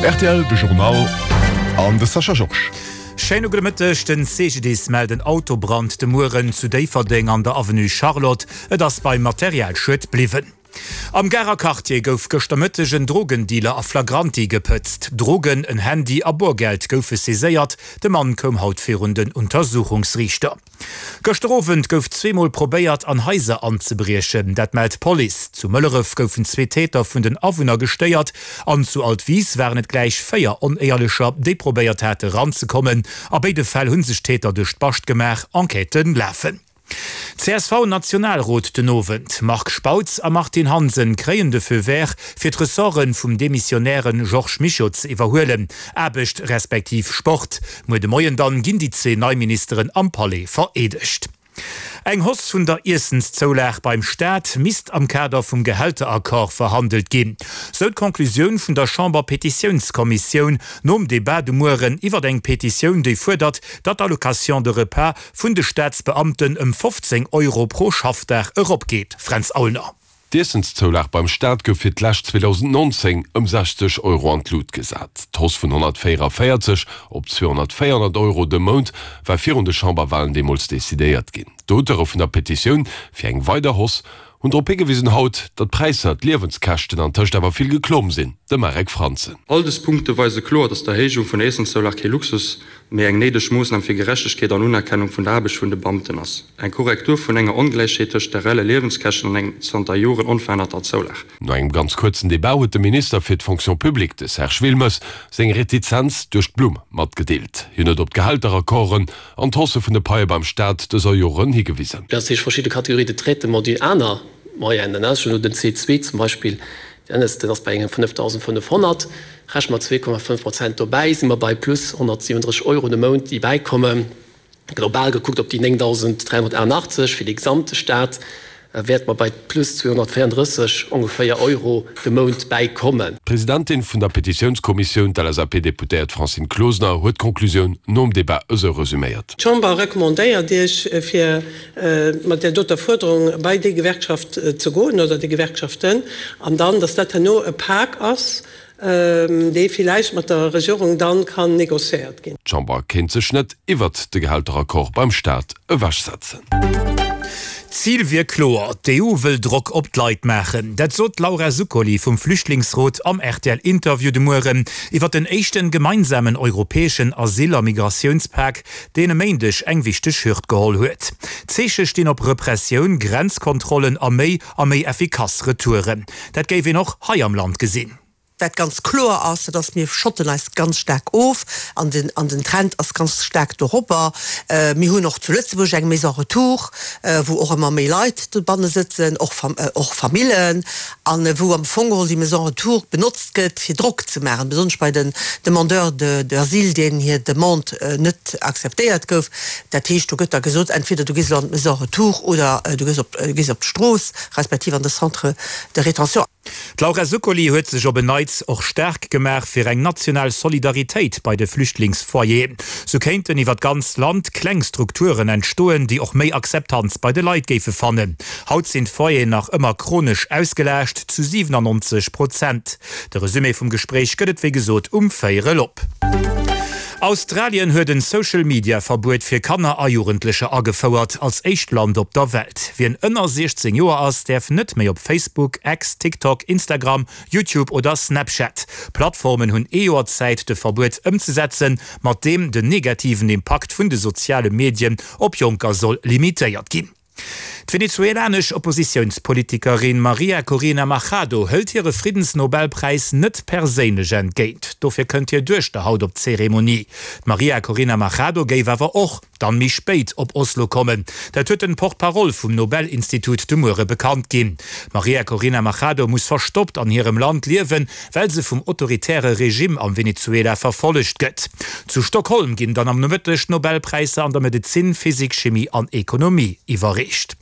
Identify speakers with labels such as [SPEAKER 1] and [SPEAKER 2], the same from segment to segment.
[SPEAKER 1] Rtl, de Journal an de Sascha Georges.
[SPEAKER 2] Schéine gudde Mëtteg. Den CGDIS mellt en Autobrand de Mueren zu Déifferdeng an der Avenue Charlotte. Et ass beim Materialschued bliwwen. Am Garer Quartier gouf gëschter Mëtteg en Drogendealer a flagranti gepëtzt. Drogen, en Handy a Borgeld goufe saiséiert. De Mann koum haut virun den Untersuchungsriichter. Gëschter Owend gouf zweemol probéiert, an Haiser anzebriechen. Dat mellt d'Police. Zu Mëlleref goufen zwee Täter vun den Awunner gestéiert an zu Altwis waren et gläich 4 Onéierlecher, déi probéiert hate ranzekommen. A béide Fäll hu sech d'Täter duerch d'Bascht gemaach. Enquêtë lafen. CSV-Nationalrot den Owend, Marc Spautz a Martine Hansen kréien de Feu vert, fir d'Ressorte vum demissionäre Georges Mischo ze iwwerhuelen, Aarbecht respektiv Sport. Muer de Moien dann ginn déi zwee nei Ministeren am Palais vereedegt. Eng Hausse vun der Iessenszoulag beim Staat misst am Kader vum Gehälteraccord verhandelt ginn, sou d'Conclusioun vun der Chamber-Petitiounskommissioun nom Debat de Mueren iwwert eng Petitioun, déi fuerdert, datt d'Allocation de repas vun de Staatsbeamten ëm 15 Euro pro Schaffdag eropgeet. Fränz Aulner.
[SPEAKER 1] D'Iessenszoulag beim Staat gouf fir d'lescht 2019 ëm 60 Euro an d'Lut gesat. D'Hausse vun 144 op 204 Euro de Mount war virun de Chamberwalen deemools decidéiert ginn. D'Auteure vun der Petitioun fir eng weider Hausse hunn drop higewisen haut, datt d'Präisser, d'Liewenskäschten an tëscht awer vill geklomm sinn. De Marek Franzen.
[SPEAKER 3] All dës Punkte weise kloer, datt d'Erhéijung vun der Iessenszoulag kee Luxus, mee eng néideg Moossnam fir Gerechtegkeet an Unerkennung vun der Aarbecht vun de Beamten ass. Eng Korrektur vun enger Ongläichheet tëscht de reelle Liewenskäschten an eng zanter Joren onverännerter Zoulag.
[SPEAKER 1] No engem ganz kuerzen Debat huet de Minister fir d'Fonction publique, de Serge Wilmes, seng Retizenz duerch d'Blumm matgedeelt. Hien huet op d'Gehälteraccorden an d'Hausse vun de Paie beim Staat dëser Joren higewisen.
[SPEAKER 4] Dat heescht verschidde Catégories de traitement déi aner Moyennen, ech hunn elo den C2 zum Beispill, deen ass bei engem 5.500, rechne mer 2,5 Prozent dobäi, si mer bei plus 137 Euro de Mount, déi bäikommen. Global gekuckt op déi 9.388 fir de gesamte Staat wäerte mer bei plus 234 ongeféier Euro de Mount bäikommen.
[SPEAKER 1] D'Presidentin vun der Petitiounskommissioun, d'LSAP-Deputéiert Francine Closener, huet d'Conclusioun nom Debat esou resuméiert.
[SPEAKER 5] D'Chamber recommandéiert Iech, fir mat där doter Fuerderung bei déi Gewerkschaft ze goen oder déi Gewerkschaften, an dann, dass dat herno e Pak ass, dee villäicht mat der Regierung dann kann négociéiert ginn.
[SPEAKER 1] D'Chamber kéint sech net iwwert de Gehälteraccord beim Staat ewechsetzen.
[SPEAKER 2] D'Zil wier kloer, d'EU wëll Drock op d'Leit maachen. Dat sot d'Laura Zuccoli vum Flüchtlingsrot am RTL-Interview de Mueren iwwer den éischten gemeinsamen europäeschen Asyl a Migratiounspak, deen e Méindeg eng wichteg Hürd geholl huet. D'Zeeche stinn op Repressioun, Grenzkontrollen a méi a méi effikass Retouren. Dat géif een och hei am Land gesinn.
[SPEAKER 6] Wat ganz kloer ass, dat ass, mir schotten eis ganz staark of an den, an den Trend ass ganz staark doropper. Mir hunn och zu Lëtzebuerg eng Maison Retour, wou och ëmmer méi Leit dobanne sëtzen, och och Famillen, a wou am Fong geholl déi Maison Retour benotzt gëtt, fir Drock ze maachen, besonnesch bei den Demandeurs de d'asile, deenen hir Demande net akzeptéiert gouf. Dat heescht, do gëtt da gesot, entweder du gees elo an d'Maison Retour oder du gees op, gees op d'Strooss, respektiv an de Centre de rétention.
[SPEAKER 2] D'Laura Zuccoli huet sech op en Neits och staark gemaach fir eng national Solidaritéit bei de Flüchtlingsfoyeren. Sou kéinten iwwer d'ganzt Land kleng Strukturen entstoen, déi och méi Akzeptanz bei de Leit géife fannen. Haut sinn d'Foyeren nach ëmmer chronesch ausgelaascht, zu 97 Prozent. De Resumé vum Gespréich gëtt et wéi gesot um véierel op. Australien huet en Social Media Verbuet fir Kanner a Jugendlecher agefouert, als éischt Land op der Welt. Wien ënner 16 Joer ass, däerf net méi op Facebook, X, TikTok, Instagram, YouTube oder Snapchat. D'Plattformen hunn ee Joer Zäit de Verbuet ëmzesetzen, mat deem den negativen Impakt vun de soziale Medien op Jonker soll limitéiert ginn. D'venezuelanesch Oppositiounspolitikerin Maria Corina Machado hëlt hire Friddensnobelpräis net perséinlech entgéint. Dofir kënnt hir Duechter haut op d'Zeremonie. D'Maria Corina Machado géif awer och dann méi spéit op Oslo kommen. Dat huet den Porte-parole vum Nobelinstitut de Muere bekannt ginn. D'Maria Corina Machado muss verstoppt an hirem Land liewen, well se vum autoritäre Regime am Venezuela verfollegt gëtt. Zu Stockholm ginn dann am Nomëtteg d'Nobelpräisser an der Medezin, Physik, Chimie an Ekonomie iwwerreecht.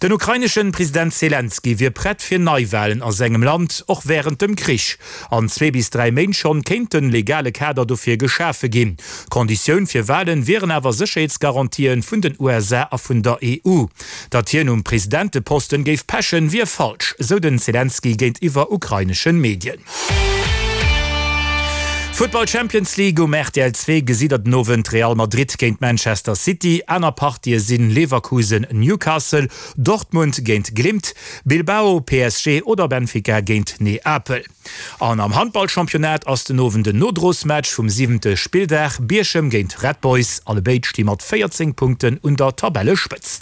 [SPEAKER 2] Den ukraineschen President Selenskyj wier prett fir Neiwalen a sengem Land, och wärend dem Krich. An zwee bis 3 Méint schonn kéint den legale Kader dofir geschafe ginn. Konditioun fir Walen wieren awer Sécherheetsgarantien vun den USA a vun der EU. Datt hien um Presidenteposten géif pechen, wier falsch, sou den Selenskyj géintiwwer ukraineschen Medien. Futtball Champions League, Um rtl 2 gesitt der den Owend Real Madrid géint Manchester City. Aner Partië sinn Leverkusen, Newcastle, Dortmund géint Glimt, Bilbao, PSG oder Benfica géint Neapel. An am Handballchampionnat ass den Owend en Nodrosmatch vum siwente Spilldag, Bierchem géint Red Boys. Allebéid sti mat 14 Punkten un der Tabellespëtzt.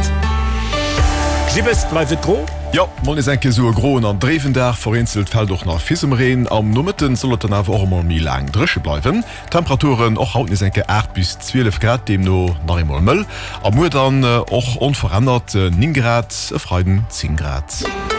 [SPEAKER 2] Gibbes, bleift et gro?
[SPEAKER 1] Jo, mol nees eng Kéier sou e groen an dréiwen Dag, vereenzelt fält och nach Fisemreen. Am Nomëtten soll et dann awer och emol méi laang dréche bleiwen. Temperaturen och haut nees eng Kéier 8 bis 12 Grad, deemno nach eemol mëll. A muer dann och onverännert 9 Grad, e Freiden 10 Grad.